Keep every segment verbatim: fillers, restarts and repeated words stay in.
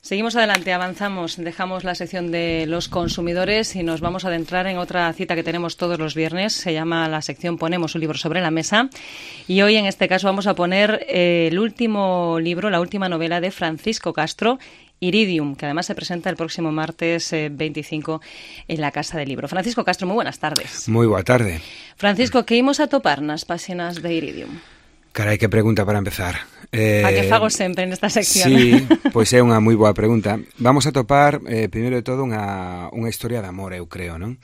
Seguimos adelante, avanzamos, dejamos la sección de los consumidores y nos vamos a adentrar en otra cita que tenemos todos los viernes. Se llama la sección Ponemos un libro sobre la mesa y hoy en este caso vamos a poner eh, el último libro, la última novela de Francisco Castro, Iridium, que además se presenta el próximo martes eh, veinticinco en la Casa del Libro. Francisco Castro, moi buenas tardes. Moi boa tarde. Francisco, que imos a topar nas páxinas de Iridium? Carai, que pregunta para empezar. Eh, a que fago sempre nesta sección. Sí, pois é unha moi boa pregunta. Vamos a topar, eh, primeiro de todo, unha, unha historia de amor, eu creo, non?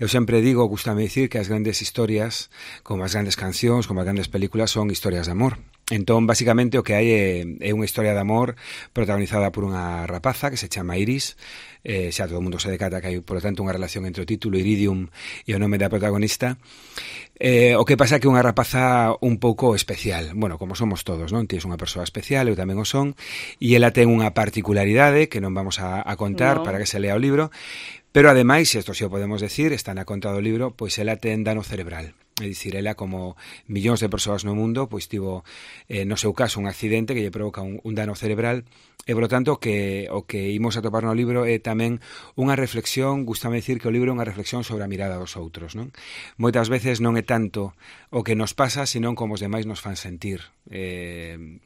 Eu sempre digo, gustame dicir, que as grandes historias, como as grandes cancións, como as grandes películas, son historias de amor. Entón, basicamente, o que hai é, é unha historia de amor protagonizada por unha rapaza que se chama Iris. Eh, xa todo o mundo se decata que hai, por lo tanto, unha relación entre o título Iridium e o nome da protagonista. Eh, o que pasa é que unha rapaza un pouco especial, bueno, como somos todos, non? Tienes unha persoa especial, eu tamén o son, e ela ten unha particularidade que non vamos a, a contar no. para que se lea o libro, pero ademais, isto si o podemos decir, está na conta do libro, pois ela ten dano cerebral. É dicir, ela, como millóns de persoas no mundo, pois tivo, eh, no seu caso, un accidente que lle provoca un, un dano cerebral, e, por lo tanto, que, o que imos a topar no libro é tamén unha reflexión, gustame dicir que o libro é unha reflexión sobre a mirada dos outros, non? Moitas veces non é tanto o que nos pasa, senón como os demais nos fan sentir. Eh,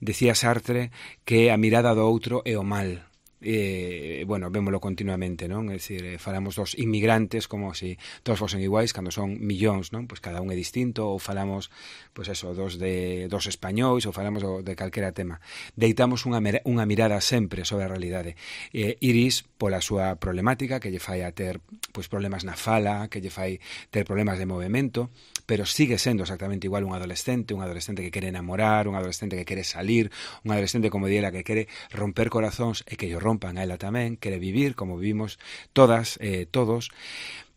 decía Sartre que a mirada do outro é o mal. Eh, bueno, vémolo continuamente, non? É dicir, eh, falamos dos inmigrantes como se si todos fosen iguais, cando son millóns, non? Pois cada un é distinto, ou falamos, pois eso, dos de dos españois, ou falamos do, de calquera tema. Deitamos unha, unha mirada sempre sobre a realidade. Eh, Iris, pola súa problemática, que lle fai a ter pois problemas na fala, que lle fai ter problemas de movimento, pero sigue sendo exactamente igual un adolescente, un adolescente que quere enamorar, un adolescente que quere salir, un adolescente, como diela, que quere romper corazóns e que lle rompan a ela tamén, quere vivir como vivimos todas, eh, todos,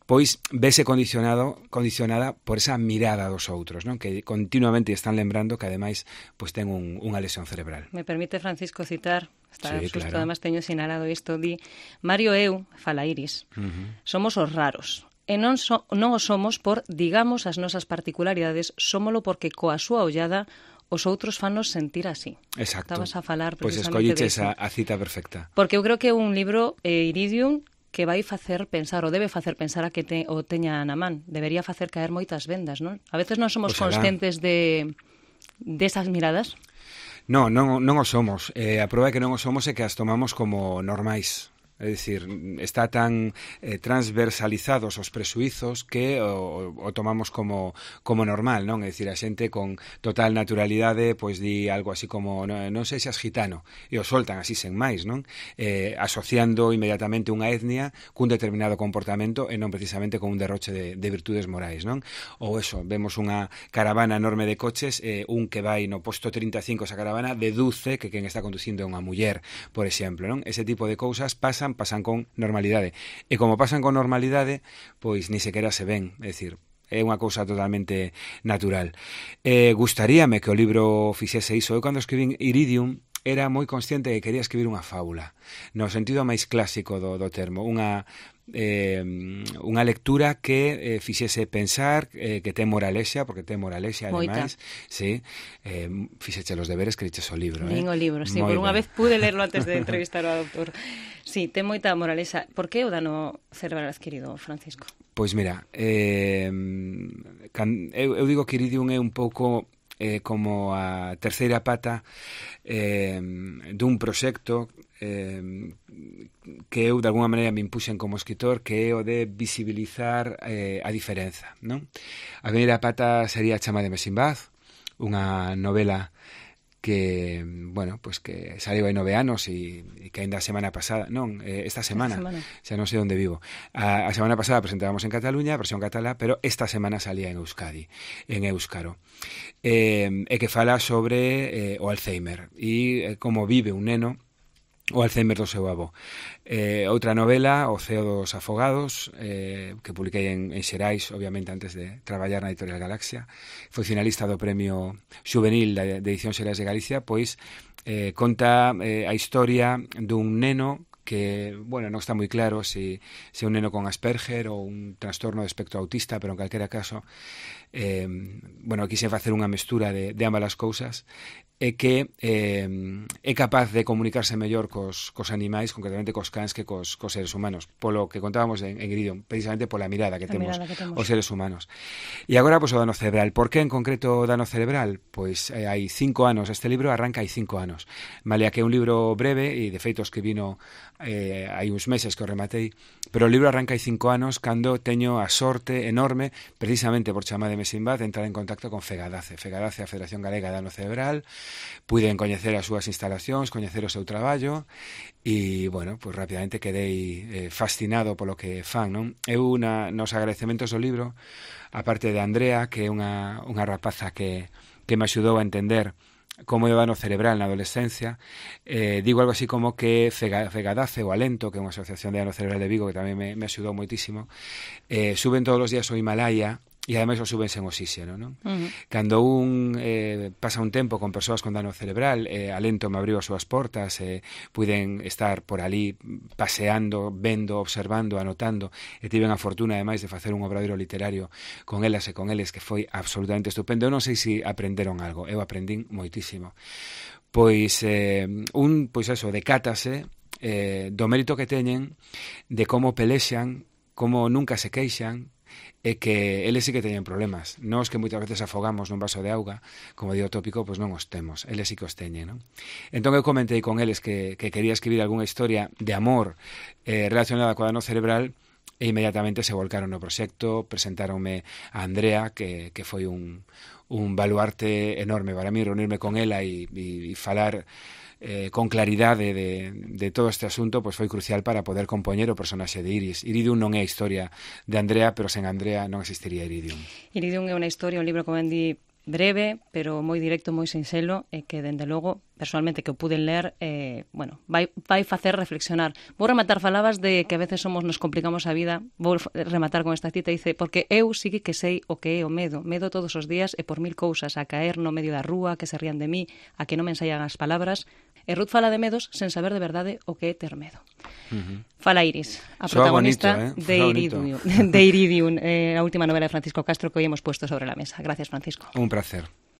pois vese condicionado, condicionada por esa mirada dos outros, non? Que continuamente están lembrando que ademais pois ten un, unha lesión cerebral. Me permite, Francisco, citar, está sí, justo, claro. Además teño sinalado isto, di Mario eu, fala Iris, uh-huh. somos os raros. E non, so, non o somos por, digamos, as nosas particularidades, somolo porque coa súa ollada os outros fanos sentir así. Exacto. Estabas a falar pois precisamente escolliches de a, a cita perfecta. Porque eu creo que é un libro, eh, Iridium, que vai facer pensar, ou debe facer pensar a que te, o teña na man. Debería facer caer moitas vendas, non? A veces non somos Oxalá. conscientes de desas de miradas. Non, non, non o somos. Eh, a prova é que non o somos é que as tomamos como normais. É dicir, está tan eh, transversalizados os presuizos que o, o tomamos como, como normal, non? É dicir, a xente con total naturalidade pois di algo así como non, non sei se és gitano, e o soltan así sen máis, non? Eh, asociando inmediatamente unha etnia cun determinado comportamento e non precisamente con un derroche de, de virtudes morais, non? Ou eso, vemos unha caravana enorme de coches, eh, un que vai no posto trinta e cinco esa caravana deduce que quen está conducindo é unha muller, por exemplo, non? Ese tipo de cousas pasan pasan con normalidade. E como pasan con normalidade, pois ni sequera se ven, é dicir, é unha cousa totalmente natural. Eh, gustaríame que o libro fixese iso. Eu cando escribín Iridium era moi consciente de que quería escribir unha fábula, no sentido máis clásico do, do termo, unha eh, unha lectura que eh, fixese pensar, eh, que ten moralexa, porque ten moralexa ademais, sí, eh, fixeche os deberes que diches o libro. Nin eh? o libro, sí, Moi por unha ben. vez pude lerlo antes de entrevistar ao autor. Sí, ten moita moralexa. Por que o dano cerebral adquirido, Francisco? Pois mira, eh, can, eu, eu digo que Iridium é un pouco eh, como a terceira pata eh, dun proxecto eh, que eu de alguna maneira me impuxen como escritor, que é o de visibilizar eh, a diferenza, non? A primeira pata sería Chama de Mesimbaz, unha novela que, bueno, pues que saliu hai nove anos e, e que ainda a semana pasada, non, eh, esta semana, semana, xa non sei onde vivo. A, a semana pasada presentábamos en Cataluña, a versión catalá, pero esta semana salía en Euskadi, en Éuskaro. Eh, e que fala sobre eh, o Alzheimer e eh, como vive un neno o Alzheimer do seu avó. Eh, outra novela, O ceo dos afogados, eh, que publiquei en, en Xerais, obviamente antes de traballar na Editorial Galaxia. Foi finalista do Premio Xuvenil de, de Edición Xerais de Galicia, pois eh, conta eh, a historia dun neno que, bueno, non está moi claro se, se un neno con Asperger ou un trastorno de espectro autista, pero en calquera caso, eh, bueno, quixen facer unha mestura de, de ambas as cousas. é que eh, é capaz de comunicarse mellor cos, cos animais, concretamente cos cans, que cos, cos seres humanos, polo que contábamos en, en Iridium, precisamente pola mirada que, temos, mirada que temos os seres humanos. E agora, pois, o dano cerebral. Por que en concreto o dano cerebral? Pois eh, hai cinco anos, este libro arranca hai cinco anos. Malia que é un libro breve, e de feito escribino eh, hai uns meses que o rematei, pero o libro arranca hai cinco anos cando teño a sorte enorme, precisamente por chamar de Mesinbad, de entrar en contacto con Fegadace. Fegadace, a Federación Galega de Dano Cerebral. Puiden coñecer as súas instalacións, coñecer o seu traballo, e, bueno, pois rapidamente quedei eh, fascinado polo que fan, non? Eu, na, nos agradecementos do libro, a parte de Andrea, que é unha, unha rapaza que, que me axudou a entender como é o dano cerebral na adolescencia, eh, digo algo así como que Fegadace, o Alento, que é unha asociación de dano cerebral de Vigo, que tamén me, me axudou moitísimo, eh, suben todos os días ao Himalaya, e ademais o suben sen oxígeno, non? Uh-huh. Cando un eh, pasa un tempo con persoas con dano cerebral, eh, Alento me abriu as súas portas, eh, puiden estar por ali paseando, vendo, observando, anotando, e tiven a fortuna ademais de facer un obradoiro literario con elas e con eles que foi absolutamente estupendo. Eu non sei se aprenderon algo, eu aprendín moitísimo. Pois eh, un, pois eso, decátase eh, do mérito que teñen, de como pelexan, como nunca se queixan, é que eles sí que teñen problemas. Nós que moitas veces afogamos nun vaso de auga, como di o tópico, pois non os temos. Eles sí que os teñen, non? Entón eu comentei con eles que, que quería escribir algunha historia de amor eh, relacionada co dano cerebral, e inmediatamente se volcaron no proxecto, presentáronme a Andrea, que, que foi un, un baluarte enorme para mí, reunirme con ela e, e, e falar Eh, con claridade de, de todo este asunto, pois foi crucial para poder compoñer o personaxe de Iris. Iridium non é a historia de Andrea, pero sen Andrea non existiría Iridium. Iridium é unha historia, un libro, como ben di, breve, pero moi directo, moi sinxelo, e que, dende logo, personalmente, que o puden ler, eh, bueno, vai, vai facer reflexionar. Vou rematar, falabas de que a veces somos, nos complicamos a vida, vou rematar con esta cita, dice, porque eu sí que sei o que é o medo, medo todos os días e por mil cousas, a caer no medio da rúa, que se rían de mí, a que non me ensaian as palabras. E Ruth fala de medos sen saber de verdade o que é ter medo. Uh-huh. Fala Iris, a protagonista bonito, eh? de, Iridium, de Iridium, eh, a última novela de Francisco Castro que hoy hemos puesto sobre la mesa. Gracias, Francisco. Un placer.